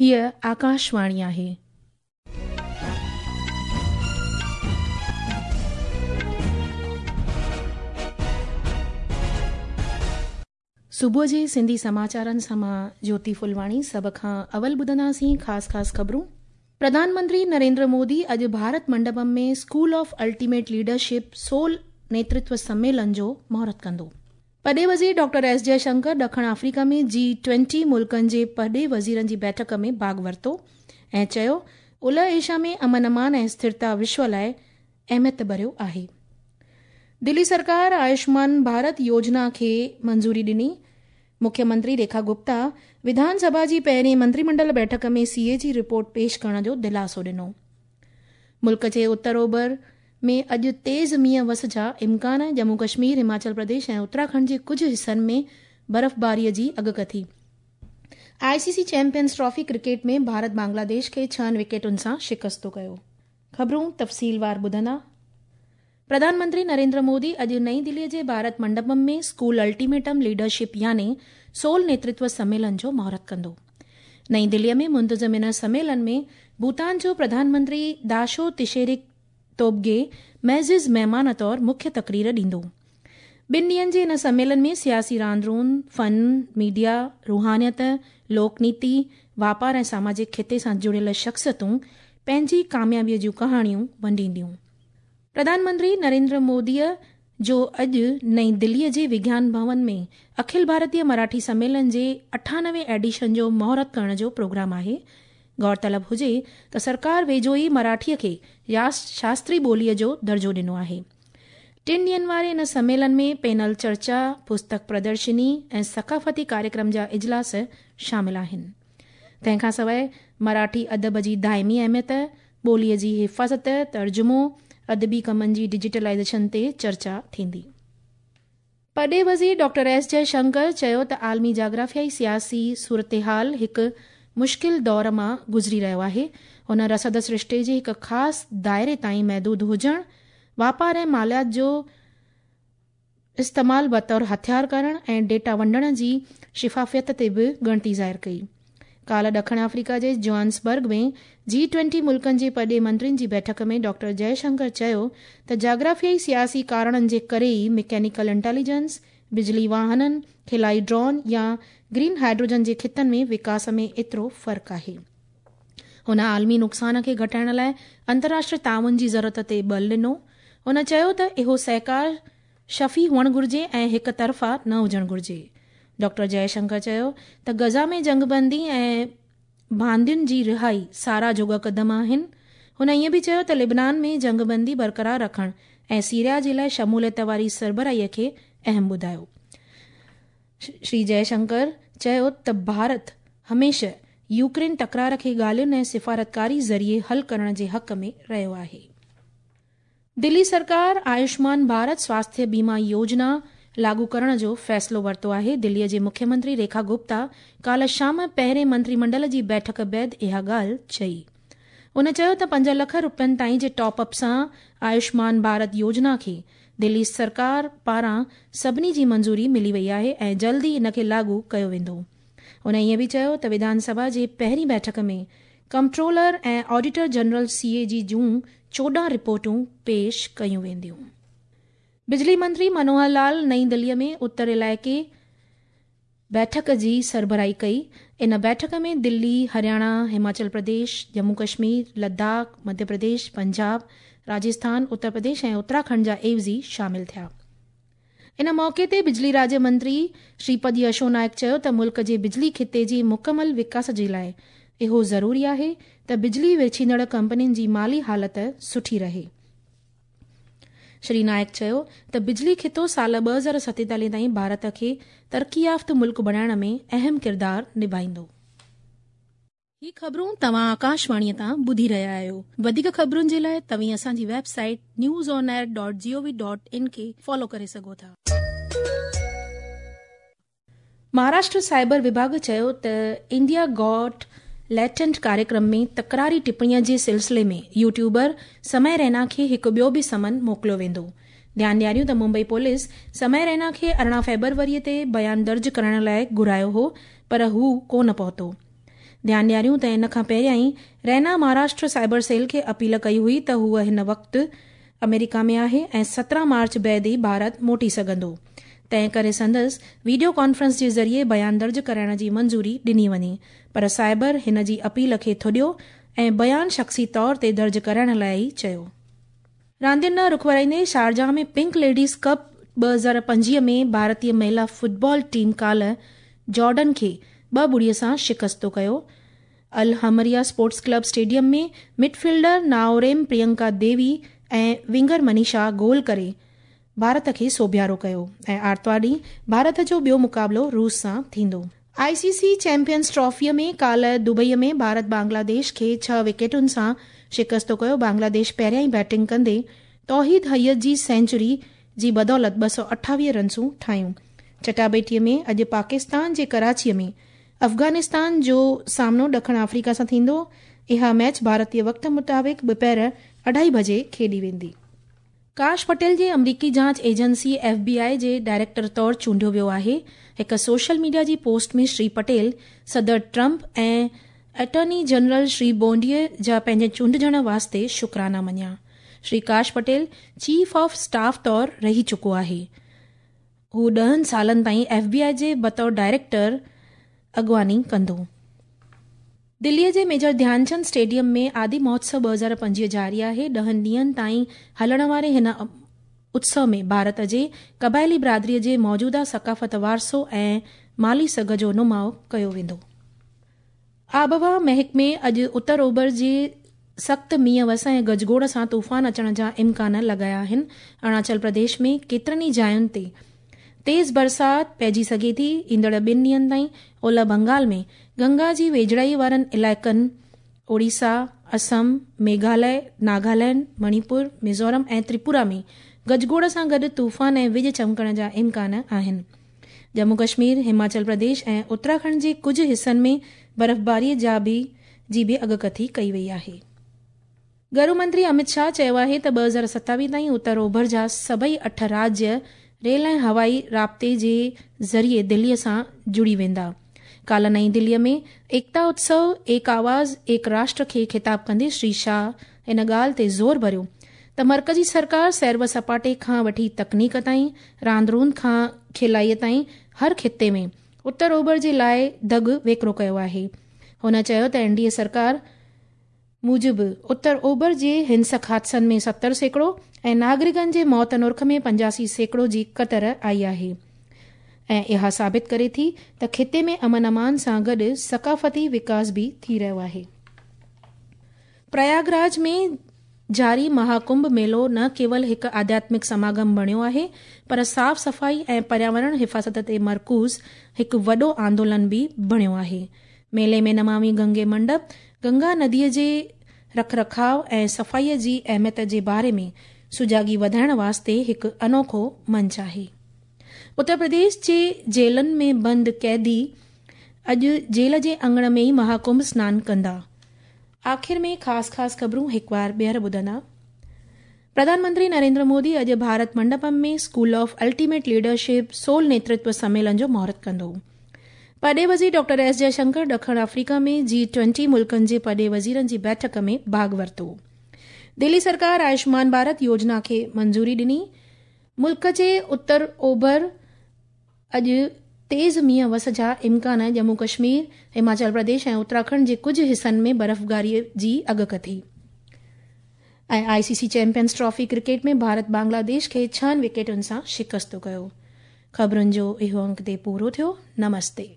هيء آڪاشواڻي آهي. صبح جي سنڌي سماچارن سان مان جيوتي ڦلواڻي سڀ کان اول ٻڌنداسين خاص خاص خبرون. پرڌان منتري نريندر مودي اڄ Bharat Mandapam ۾ school of ultimate leadership SOL نيترتو سميلن جو مهورت ڪندو. پرڏيهي وزير ڊاڪٽر ايس جئه شنڪر ڏکڻ آفريڪا ۾ جي ٽوئنٽي ملڪن جي پرڏيهي وزيرن جي بيٺڪ ۾ ڀاڳ ورتو ۽ چيو اولهه ايشيا ۾ امن امان ۽ اسٿرتا وشو لاء اهميت ڀريو آهي. دلي سرڪار آيوشمان ڀارت يوجنا کي منظوري ڏني. مکيه منتري ريکا گپتا وڌان سڀا جي پهرين منتري منڊل بيٺڪ ۾ سي اي جي رپورٽ پيش ڪرڻ جو دلاسو ڏنو. ملڪ جي اتر اوڀر ۾ اڄ تيز مينهن وس جا امڪان، ڄمون ڪشمير، هماچل پرديش ۽ اتراکنڊ جي ڪجهه حصن ۾ برفباري جي اڳڪٿي. I C C champions trophy cricket ۾ Bharat Bangladesh کي ڇهن وڪيٽن سان شڪست ڪيو. خبرون تفصيلوار ٻڌندا. پرڌان منتري نريندر مودي اڄ نئين دلي جي ڀارت منڊپم ۾ اسڪول الٽيميٽم ليڊرشپ يعني سول نيترتو سميلن جو مهورت ڪندو. نئين دلي ۾ منتظم ان سميلن ۾ ڀوتان جو پرڌان منتري داشو تشيرڪ توبگي معزز مهمان طور مکيه تقرير ڏيندو. ٻن ڏينهن جي ان سميلن ۾ سياسي راند روند، فن، ميڊيا، روحانيت، لوڪ نيتي، واپار ۽ ساماجڪ خطي سان جڙيل شخصيتون پنهنجي ڪاميابي جون ڪهاڻيون ونڊينديون. پرڌان منتري نريندر موديء جو اڄ نئين دليء جي وگيان ڀون ۾ اکل ڀارتيه مراٺي سميلن جي اٺانوي ايڊيشن جو مهورت ڪرڻ جو پروگرام آهي. غور طلب هجي ته سرڪار ويجهو ئي مراٺيء کي شاستري ٻوليء جو درجو ڏنو آهي. ٽن ڏينهن واري ان سميلن ۾ پينل چرچا، پستڪ پردرشني ۽ ثقافتي ڪاريڪرم جا اجلاس شامل آهن. تنهن کان سواء مراٺي ادب جي دائمي اهميت، ٻوليء جي حفاظت، ترجمو، ادبي ڪمن جي ڊجيٽلائيزيشن تي چرچا ٿيندي. پرڏيهي وزير ڊاڪٽر ايس جئه شنڪر چيو ته عالمي جاگرافيائي سياسي صورتحال هڪ مشڪل دور مان گذري رهيو آهي، هن رسد سرشتي جي هڪ خاص دائري تائين محدود هجڻ، واپار ۽ ماليات جو استعمال بطور هٿيار ڪرڻ ۽ ڊيٽا ونڊڻ جي شفافيت تي به ڳڻتي ظاهر ڪئي. ڪالهه ڏکڻ آفريڪا جي جوهانسبرگ ۾ جي ٽوئنٽي ملڪن جي پرڏيهي منترين جي بيٺڪ ۾ ڊاڪٽر جئه شنڪر چيو ته جاگرافيائي سياسي ڪارڻن جي ڪري ئي مڪينيڪل انٽيليجنس، بجلي واهنن، خلائي ڊرون يا گرين هائيڊروجن جي خطن ۾ وڪاس ۾ ايترو فرق آهي. هن عالمي نقصان کي گهٽائڻ لاء انترراشٽري تعاون جي ضرورت تي ٻل ڏنو. هن چيو ته اهو سهڪار شفي هئڻ گهرجي ۽ هڪ طرفا نه هجڻ گهرجي. ڊاڪٽر جئه شنڪر چيو ته غزه ۾ جنگبندي ۽ باندين جي رهائي ساراهه جوڳا قدم آهن. هن ائين به چيو ته لبنان ۾ جنگبندي برقرار رکڻ ۽ سيريا جي لاء شموليت واري سربراهي کي اهم ٻڌايو. شري جئه شنڪر چيو ته ڀارت هميشه يوڪرين تڪرار کي ڳالهين ۽ سفارتڪاري ذريعي حل ڪرڻ جي حق ۾ رهيو آهي. دلي سرڪار آيوشمان ڀارت سواسٿيه بيما يوجنا لاڳو ڪرڻ جو فيصلو ورتو آهي. دلي جي مکيه منتري ريکا گپتا ڪالهه شام پهرين منتري منڊل جي بيٺڪ بعد اها ڳالهه چئي. هن چيو ته پنج لک روپين تائين جي ٽاپ اپ سان آيوشمان ڀارت يوجنا کي دلي سرڪار پاران سڀني جي منظوري ملي وئي آهي ۽ جلد ئي ان کي لاڳو ڪيو ويندو. هن ائين به چيو ته وڌان سڀا جي پهرين بيٺڪ ۾ comptroller ۽ auditor general C A جي جون 14 رپورٽون پيش ڪيون وينديون. بجلي منتري منوهر لال نئين دلي ۾ اتر علائقي بيٺڪ جي سربراهي ڪئي. ان بيٺڪ ۾ دلي، هرياڻا، هماچل پرديش، ڄمون ڪشمير، لداخ، مڌيه پرديش، پنجاب، راجسٿان، اتر پرديش ۽ اتراکنڊ جا عيوضي شامل ٿيا. ان موقعي تي بجلي راڄ منتري شريپد يشو نائڪ چيو ته ملڪ جي بجلي خطي جي مڪمل وڪاس جي لاء اهو ضروري آهي ته بجلي ورڇيندڙ ڪمپنين جي مالي حالت سٺي رهي. شري نائڪ چيو ته بجلي خطو سال 2047 تائين ڀارت کي ترقي يافته ملڪ بڻائڻ ۾ اهم ڪردار نڀائيندو. هي خبرون توهان آڪاشواڻيء تان ٻڌي رهيا آهيو. وڌيڪ خبرن جي لاء توهين اسان جي website news on air dot G O V dot in کي فالو ڪري سگهو ٿا. مهاراشٽر سائبر وڀاڳ چيو ته انڊيا گاٽ ليٽنٽ ڪاريڪرم ۾ تڪراري ٽپڻيء جي سلسلي ۾ يوٽيوبر سمي رينا کي هڪ ٻيو به سمن موڪليو ويندو. ڌيان ڏياريون ته ممبئي پوليس سمي رينا کي 18 فيبروري تي بيان درج ڪرائڻ لاء گهرايو هو پر هو ڪونه پهتو. ڌيان ڏياريون ته ان کان پهريائين رينا مهاراشٽر سائبر سيل کي اپيل ڪئي هئي ته هوء هن وقت آمريڪا ۾ آهي ۽ 17 مارچ بعد ئي ڀارت موٽي سگهندو، تنهن ڪري سندس وڊيو ڪانفرنس جي ذريعي بيان درج ڪرائڻ جي منظوري ڏني وڃي، پر سائبر هن جي اپيل کي ٿڏيو ۽ بيان شخصي طور تي درج ڪرائڻ لاء ئي چيو. راندين ڏانهن رخ ورائيندي شارجه ۾ پنڪ ليڊيز ڪپ 2025 ۾ ڀارتي مهلا فٽبال ٽيم ڪالهه جارڊن کي 2-0 سان شڪستو ڪيو. الحمريه اسپورٽس ڪلب اسٽيڊيم ۾ مڊفيلڊر نائوريم پرينڪا ديوي ۽ ونگر منيشا گول ڪري ڀارت کي سوڀيارو ڪيو ۽ آرتوار ڏينهن ڀارت جو ٻيو مقابلو روس سان ٿيندو. آء سي سي چيمپيئنز ٽرافيء ۾ ڪالهه دبئي ۾ ڀارت بنگلاديش کي 6 وڪيٽن سان شڪستو ڪيو. بنگلاديش پهريائين بيٽنگ ڪندي توحيد حيات جي سينچري جي بدولت 228 رنسون ٺاهيون. چٽاڀيٽيء ۾ اڄ پاڪستان جي ڪراچيء ۾ افغانستان جو سامنو ڏکڻ آفريڪا سان ٿيندو. اها ميچ ڀارتي وقت مطابق ٻپهر اڍائي بجي کيڏي ويندي. ڪاش پٽيل جي آمريڪي جاچ ايجنسي ايف بي آء جي ڊائريڪٽر طور چونڊيو ويو آهي. هڪ سوشل ميڊيا جي پوسٽ ۾ شري پٽيل صدر ٽرمپ ۽ اٽارني جنرل شري بونڊيء جا پنهنجي چونڊجڻ واسطي شڪرانا مڃيا. Shri Kash Patel chief of staff طور رهي چڪو آهي. هو 10 سالن تائين ايف بي آء جي بطور ڊائريڪٽر اڳواڻي ڪندو. دليء جي ميجر ڌيانچند اسٽيڊيم ۾ آدي مهوتسو 2025 جاري آهي. 10 ڏينهن تائين هلڻ واري هن اتسو ۾ ڀارت جي قبائلي برادريء جي موجوده ثقافت، وارثو ۽ مالي سگهه جو نماء ڪيو ويندو. آبهوا محڪمي اڄ اتر اوڀر جي سخت مينهن وس ۽ گجگوڙ سان طوفان اچڻ جا امڪان لڳايا آهن. اروناچل پرديش ۾ ڪيترن ئي جاين تي تيز برسات پئجي سگهي ٿي. ايندڙ 2 ڏينهن تائين اولهه بنگال ۾ گنگا جي ويجهڙائي وارن علائقن، اوڙيسا، اسم، ميگهاليه، ناگالينڊ، مڻيپور، ميزورم ۽ تريپورا ۾ گجگوڙ سان گڏ طوفان ۽ وڄ چمڪڻ جا امڪان آهن. ڄمون ڪشمير، هماچل پرديش ۽ اتراکنڊ جي ڪجهه حصن ۾ برفباري جا به جي به اڳڪٿي ڪئي وئي آهي. گهرو منتري امت شاهه چيو آهي ته 2027 تائين اتر اوڀر جا سڀئي 8 راجيه ريل ۽ هوائي رابطي جي ذريعي دلي سان جڙي ويندا. ڪالهه نئين دلي ۾ ايڪتا اتسو ايڪ آواز ايڪ راشٽر کي خطاب ڪندي شري شاهه ان ڳالهه تي زور ڀريو ته مرڪزي سرڪار سير و سپاٽي کان وٺي تڪنيڪ تائين، راند روند کان کلائي تائين هر خطي ۾ اتر اوڀر جي لاء دڳ ويڪرو ڪيو آهي. هن چيو ته اين ڊي اي سرڪار موجب اتر اوڀر جي هنسڪ حادثن ۾ 70% ۽ ناگرڪن جي موت نرخ ۾ 85% جي ڪتر آئي آهي ۽ اها ثابت ڪري ٿي ته خطي ۾ امن امان سان گڏ ثقافتي وڪاس به ٿي رهيو آهي. پرياگراج ۾ جاري مهاڪنڀ ميلو نه ڪيول هڪ آڌياتمڪ سماگم بڻيو آهي پر صاف صفائي ۽ پرياورڻ حفاظت تي مرڪوز هڪ وڏو آندولن به بڻيو آهي. ميلي ۾ نمامي گنگي منڊپ گنگا نديء جي رک رکاء ۽ صفائيء جي اهميت جي باري ۾ سجاڳي وڌائڻ واسطي هڪ انوکو منچ آهي. اتر پرديش جي جيلن ۾ بند قيدي اڄ جيل جي اڱڻ ۾ ئي مهاڪنڀ سنان ڪندا. آخر ۾ خاص خاص خبرون هڪ وار ٻيهر ٻڌندا. پرڌان منتري نريندر مودي اڄ Bharat Mandapam ۾ school of ultimate leadership civil نيترتو سميلن جو مهورت ڪندو. پرڏيهي وزير ڊاڪٽر ايس جئشنڪر ڏکڻ آفريڪا ۾ جي 20 ملڪن جي پرڏيهي وزيرن جي بيٺڪ ۾ ڀاڳ ورتو. دلي سرڪار آيوشمان ڀارت يوجنا کي منظوري ڏني. ملڪ جي اتر اوڀر اڄ تيز مينهن وس جا امڪان، ڄمون ڪشمير، هماچل پرديش ۽ اتراکنڊ جي ڪجهه حصن ۾ برفباري جي اڳڪٿي. ۽ I C C champions trophy cricket ۾ Bharat Bangladesh کي 6 وڪيٽن سان شڪست ڪيو. خبرن جو اهو انڪ تي پورو ٿيو. نمستي.